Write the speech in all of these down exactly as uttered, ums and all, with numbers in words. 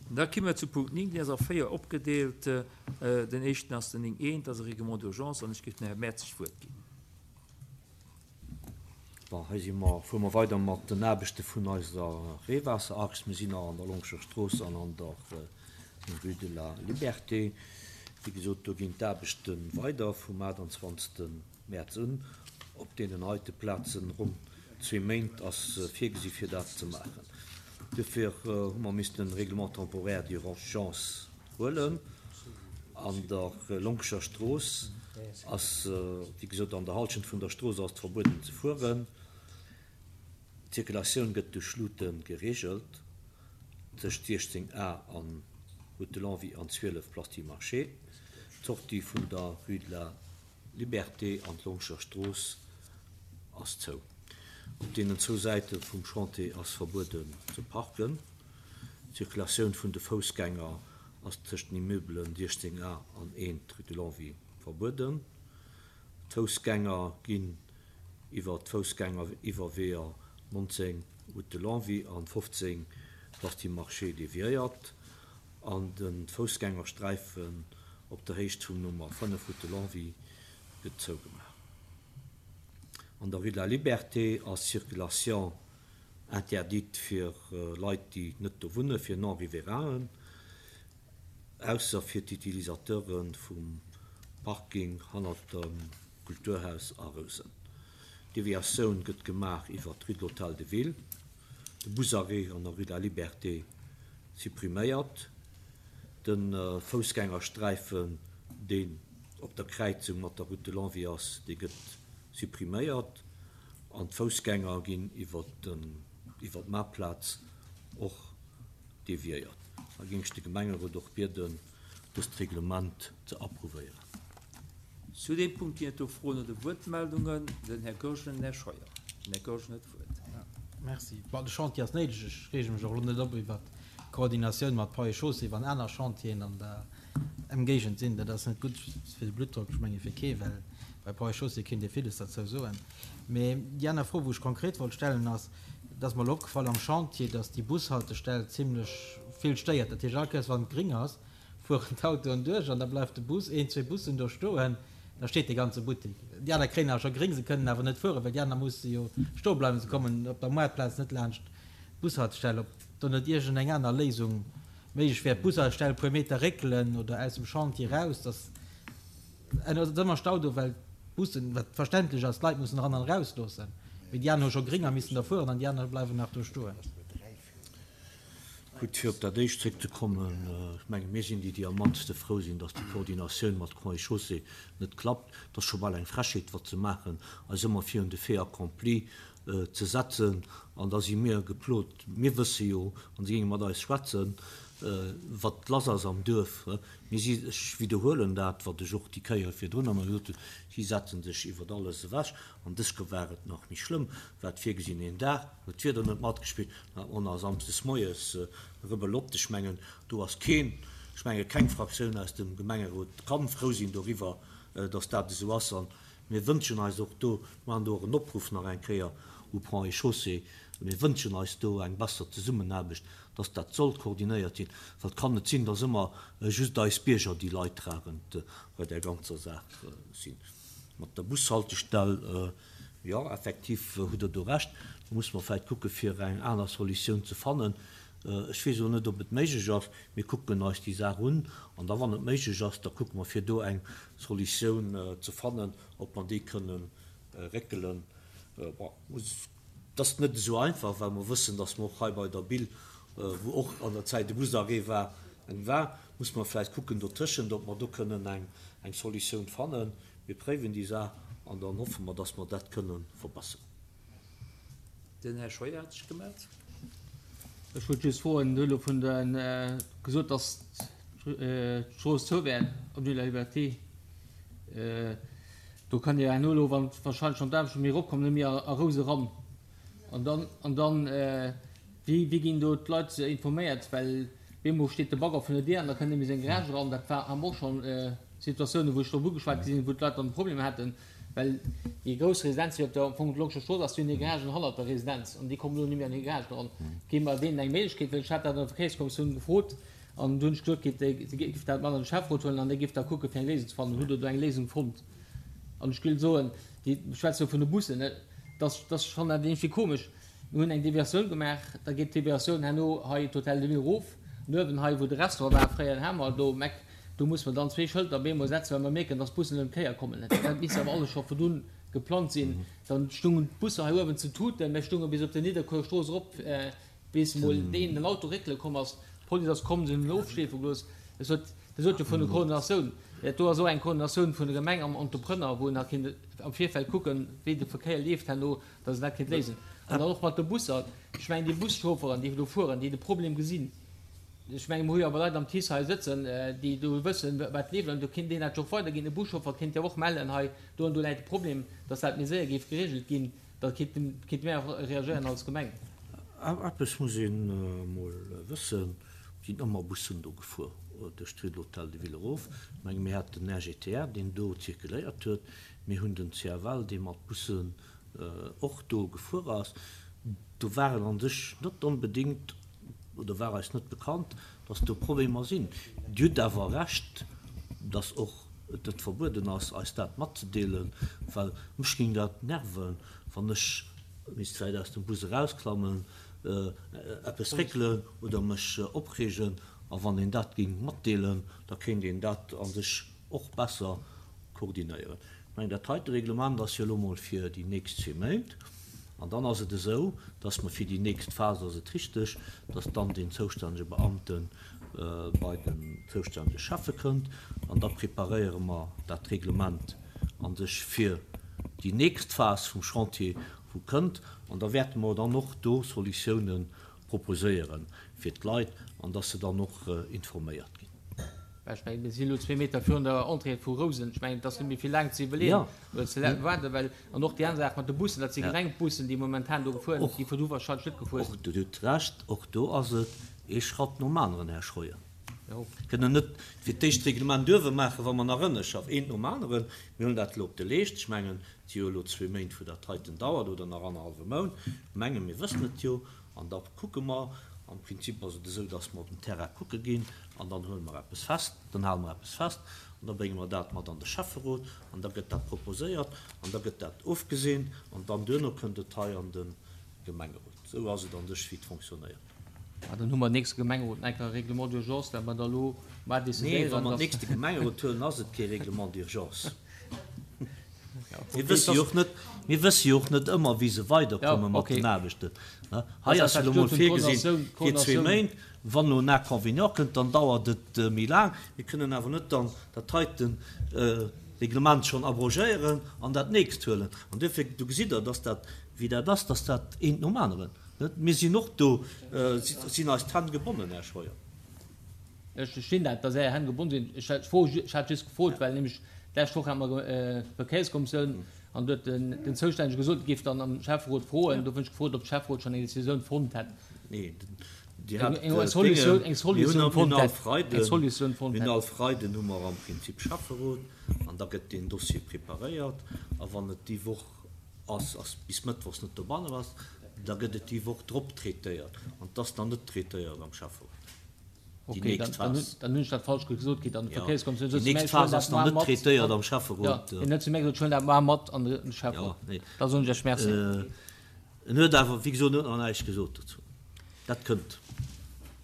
Da komme mer zu Punkt néng, deen ass a véier opgedeelt. Den éischten ass den néng eent, dat ass e Règlement d'urgence, an ech géif dem Här Mertzig d'Wuert ginn. Bon, hei si mer, fuere mer weider mat den Aarbechte vun eiser Reewaasserachs. Mir sinn nach an der Longscher Strooss an an der Rue de la Liberté. Wéi gesot, do ginn d'Aarbechte weider vum aachtundzwanzegste Mäerz un. Op deenen heite Plazen, ronn zwee Méint ass virgesi fir dat ze maachen. Duerfir hu mer missten e Règlement temporaire d'urgence huelen. An der Longscher Strooss ass, wéi gesot, an der Halschent vun der Strooss ass et verbueden ze fueren. D'Zirkulatioun gëtt duerch Luute gereegelt tëscht siechzéng A an Route de Longwy an zwielef Place du Marché. D'Sortie vun der Rue de la Liberté an d'Longscher Strooss ass zou. Op deenen zwou Säite vum Chantier ass verbueden ze parken. D'Zirkulatioun vun de Foussgänger ass tëscht den Immeubelen siechzéng A an eent Rue de Longwy verbueden. D'Foussgänger ginn iwwer d'Foussgängeriwwerweeër nonzéng Route de Longwy an fofzéng Place du Marché deviéiert an de Foussgängersträifen op der Héicht vum Nummer fënnef Route de Longwy gëtt zougemaach. An der Rue de la Liberté ass Circulation interdite fir Leit, déi net do wunnen, fir Non-Riverainen, ausser fir d'Utilisateure vum Parking hannert dem Kulturhaus a Rousen. D'Deviatioun gëtt gemaach iwwer d'Rue de l'Hôtel de Ville, de Busarrêt an der Rue de la Liberté suppriméiert, de Foussgängersträifen, deen op der Kräizung mat der Route de Longwy ass, dee gëtt suppriméiert an d'Foussgänger ginn iwwer iwwer d'Maartplaz och deviéiert. Da géing ech de Gemengerot och bieden, dëst Reglement ze approuvéieren. Zu deem Punkt ginn et do Froen oder Wuertmeldungen. Den Här Goergen an den Här Scheuer. Den Här Goergen huet d'Wuert. Merci. Bon, de Chantier ass néideg. Ech reege mech och elo net op iwwert d'Koordinatioun mat Ponts et Chaussées, wann aner Chantieren an der Emgéigend sinn. Dat ass net gutt fir de Bluttdrock, ech menge fir kee, well bei Ponts et Chaussées kéint ee villes derzou soen. Mee déi aner Fro, wou ech konkret wollt stellen, ass, et ass mer elo opgefall am Chantier, dass déi Bushaltestell zimlech vill stéiert. Dat heescht, all Kéiers wann et gréng ass, fueren d'Autoen duerch an da bleift de Bus, een, zwee Bussen do stoen, da steet dee ganze Buttek. Déi aner kréien awer scho gréng, se kënnen awer net fueren, well déi aner musse jo stoe bleiwen, se kommen op der Moartplaz net laanscht d'Bushaltestell. Ob do net iergendeng aner Léisung méiglech wär, d'Bushaltestell e puer Meter réckelen oder aus dem Chantier eraus, dass et ass ëmmer Stau do, well d'Bussen, wat verständlech ass, d'Leit mussen eran an eraus loossen, mee déi aner hu scho gréng a missen da fueren an déi aner bleiwen nach do stoen. Gutt, fir op dat éischt zréckzekommen, ech menge mir sinn déi, déi am mannste frou sinn, datt déi Koordinatioun mat Ponts et Chaussées net klappt. Et ass scho bal eng Frechheet, wat se maachen, eis ëmmer virun de Fait accompli ze setzen. An da si mir geplot. Mir wësse jo, wann se géinge mat eis schwätzen, wat lass ass am Duerf. Mir si, ech widderhuelen dat, wat ech och déi Kéier virdrun ëmmer gesot hunn, si setze sech iwwer alles ewech. An dës Kéier war et nach méi schlëmm, war et virgesinn een Dag, huet d'Wieder net matgespillt, dann hat mer nach samsdes moies Rebelott. Ech mengen, do ass keen, ech menge keng Fraktioun aus dem Gemengerot kann frou sinn doriwwer, dass dat esou ass. A mir wënschen eis och do, mir maachen do och en Opruff nach eng Kéier u Ponts et Chaussées, mir wënschen eis do eng besser Zesummenaarbecht, dass dat soll koordinéiert sinn, well et kann net sinn, dass ëmmer just eis Bierger déi Leidtragend bei där ganzer Saach sinn. Mat der Bushaltestell, jo, effektiv hutt Der do Recht, do musse mer vläicht kucke fir eng aner Solutioun ze fannen. Ech weess elo net, ob et méiglech ass. Mir kucken eis déi Saach un an da wann et méiglech ass, da kucke mer fir do eng Solutioun ze fannen, ob mer déi kënnen réckelen. Bon, et ass net esou einfach, well mer wëssen, dass mer och hei bei der Bille, wou och an der Zäit e Busarrêt war, eng war, muss mer vläicht kucken dotëschent, ob mer do kënnen eng Solutioun fannen. Mir préiwen déi Saach an dann hoffe mer, dass mer dat kënnen verbessern. Den Här Scheuer hat sech gemellt. Ech wollt just froen, Dir hutt elo vun de gesot, dass d'Strooss zou wär, Avenue de la Liberté. Do kann jo herno elo, wann wahrscheinlech schonn d'Aarbechten méi eropkommen, net méi a Rous eran. An dann, an dann, wéi, wéi ginn do d'Leit informéiert? Well bemol steet de Bagger vun der Dier an da kënnt net méi seng Garage eran. Dat war, hu mer och schonn Situatiounen, wou ech drop ugeschwat gi sinn, wou d'Leit dann Problemer haten. Well déi grouss Residenz, déi op der am Fong d'Longscher Strooss ass, déi hunn hir Garagen hannert der Residenz an déi kommen elo net méi an hir Garagen eran. Gi mer deenen eng Méiglechkeet, well ech hat dat an der Verkéierskommissioun gefrot an do hunn ech gesot kritt, si géif dat mat an de Schäfferot huelen an dee géif da kucke fir eng Léisung ze fannen. Hutt Der do eng Léisung fonnt? An ech géif soen, déi, ech schwätze elo vun de Bussen, dass, dass, ech fannen dat iergendwéi komesch, mir hunn eng Deviatioun gemaach, da geet d'Deviatioun herno hei d'Hôtel de Ville erof, an uewen hei wou de Restaurant war fréier, den Hamer do um Eck, do musse mer dann zwee Schëlter op eemol setzen, well mer mierken, dass d'Bussen ëm d'Kéier kommen. Dat misst awer alles scho virdrun geplangt sinn. Dann stungen d'Busser hei uewen zu tuten, mir stunge bis op der Nidderkuer Strooss erop, bis emol deen den Auto réckele komm ass. D'Police ass komm, se hunn en ofschleefe gelooss. Ech sot, Dir sot jo vun der Koordinatioun. Dat do ass och eng Koordinatioun vun der Gemeng am Entrepreneur, wou een da kéint am Virfeld kucken, wéi de Verkéier leeft herno, dass een dat kéint léisen. An dann och mat de Busser. Ech mengen, déi Buschaufferen, déi do fueren, déi de Problem gesinn, ech mengen, mir hu jo awer Leit am TICE hei sëtzen, déi do wëssen, wat leeft, an do kéint een dat jo och weiderginn. E Buschauffer kéint jo och mellen, hei do an do läit de Problem, dass dat méi séier géif geregelt ginn. Da kéinte mir och reagéieren als Gemeng. Eppes muss een emol wëssen, Et sinn ëmmer Bussen do gefuer duerch d'Rue de l'Hôtel de Ville erof. Ech menge mir haten den R G T R, deen do zirkuléiert huet. Mir hunn den C F L, dee mat Bussen och do gefuer ass. Do war et an sech net onbedéngt, oder war eis net bekannt, dass do Problemer sinn. Dir hutt awer Recht, dass och et net verbueden ass, eis dat matzedeelen, well mech géing dat nerven, wann ech misst vläicht aus dem Bus erausklammen, eppes réckelen oder mech opreegen. A wann een dat géing matdeelen, da kéint een dat a sech och besser koordinéieren. Ech mengen, dat heite Reglement ass jo elo mol fir déi nächst zwee Méint. An dann ass et esou, dass mer fir déi nächst Phas, ass et richteg, dass dann den zoustännege Beamte bei den zoustännege Schäffe kënnt an da preparéiere mer dat Reglement a sech fir déi nächst Phas vum Chantier, wou kënnt. An da wäerte mer dann och do Solutiounen proposéiere fir d'Leit an dass se dann och informéiert ginn. Ech mengen, mir sinn elo zwee Meter virun der Entrée vu Rousen. Ech mengen, et ass net méi vill laang ze iwwerleeën oder ze waarden, well, an och déi aner Saach mat de Bussen, dat si Gemengebussen, déi momentan do gefuer, déi virdu wahrscheinlech net gefuer sinn. Och, Dir hutt Recht, och do ass et ee Schratt nom aneren, Här Schroeder. Kënnen net fir d'éischt d'Reglement duerwe maachen, wa mer nach ënne schaffen, eent nom aneren. Mir hunn dat elo op de Leescht. Ech mengen, et si jo elo zwee Méint, wou dat heiten dauert, oder nach annerhallwe Mount. Ech menge mir wëssen et jo. An da kucke mer. Am Prinzip ass et esou, dass mer op den Terrain kucke ginn an dann huele mer eppes fest, dann hale mer eppes fest an da brénge mer dat mat an de Schäfferot an da gëtt dat proposéiert an da gëtt dat ofgeseent an dann duerno kënnt et hei an de Gemengerot. Esou ass et an sech, wéi et fonctionnéiert. Ah, dann hu mer nächste Gemengerot nach eng Kéier e Règlement d'urgence, dat mer da elo mar Nee, wa decidéieren, mer dass. nächste Gemengerot huelen, ass et kee Règlement d'urgence. Mir wësse jo och net, mir wësse jo och net ëmmer, wéi se weiderkomme mat den Aarbechten. Hei ass elo mol virgesinn fir zwee Méint. Wann elo en Inconvénient kënnt, dann dauert et méi laang. Mir kënnen awer net dann dat heiten Reglement schonn abrogéieren an dat nächst huelen. An duerfir, do gesitt Der, dass dat, wéi dat ass, dass dat eent nom aneren, net? Mir sinn och do, sinn eis d'Hänn gebonnen, Här Scheuer. Ech verstinn dat, dass Är Hänn gebonn sinn. Ech hat d'Fro, ech hat just gefrot, well nämlech d'lescht Woch hate mer Verkéierskommissioun an do huet den Zoustännege gesot, e géif dann am Schäfferot froen. Do hunn ech gefrot, ob de Schäfferot schonn eng Decisioun fonnt hätt. Nee, Dir hat Eng Solutioun, eng Mir hunn Solutioun fonnt all hätt. Freiden, Eng Solutioun fonnt mir hunn hätt. all Freiden hu mer am Prinzip Schäfferot an da gëtt deen Dossier preparéiert a wann et déi Woch ass, ass bis mëttwochs net dobanne ass, da gëtt et déi Woch drop traitéiert an et ass dann net traitéiert am Schäfferot. Déi Ok, dann, nächst dann hunn, Phas. dann hunn ech dat falsch gesot kritt an der Jo, Verkéierskommissioun déi sot zu mär, nächst ech huelen Phas ass dat nach mar net mat. traitéiert am Jo, Schäfferot. hien huet zu mär gesot, ech huelen dat mar mat an de Jo, Schäfferot. nee. Da soen ech Iech Merci. En huet awer, wéi gesot, en huet nach näischt gesot dozou. Dat kënnt.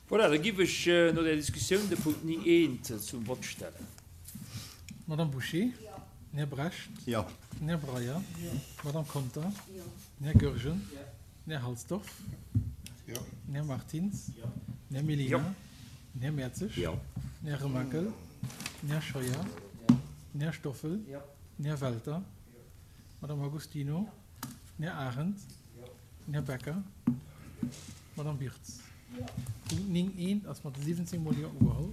Voilà, da giff ech no där Diskussioun de Punkt ning eent zum Vott stellen. Madame Bouché? Den Här Brecht? Jo. Den Här Breyer? Jo. D'Madame Conter? Jo. Den Här Goergen? Jo. Den Här Halsdorf? Jo. Den Här Martins? Jo. Den Här Mellina? Jo. Den Här Mertzig? Jo. Den Här Remakel? Den Här Scheuer? Jo. Den Här Stoffel? Jo. Den Här Welter? D'Madame Agostino? Den Här Arendt? Den Här Becker? D'Madame Birtz? Punkt ning eent ass mat siwwenzéng Mol Jo ugeholl.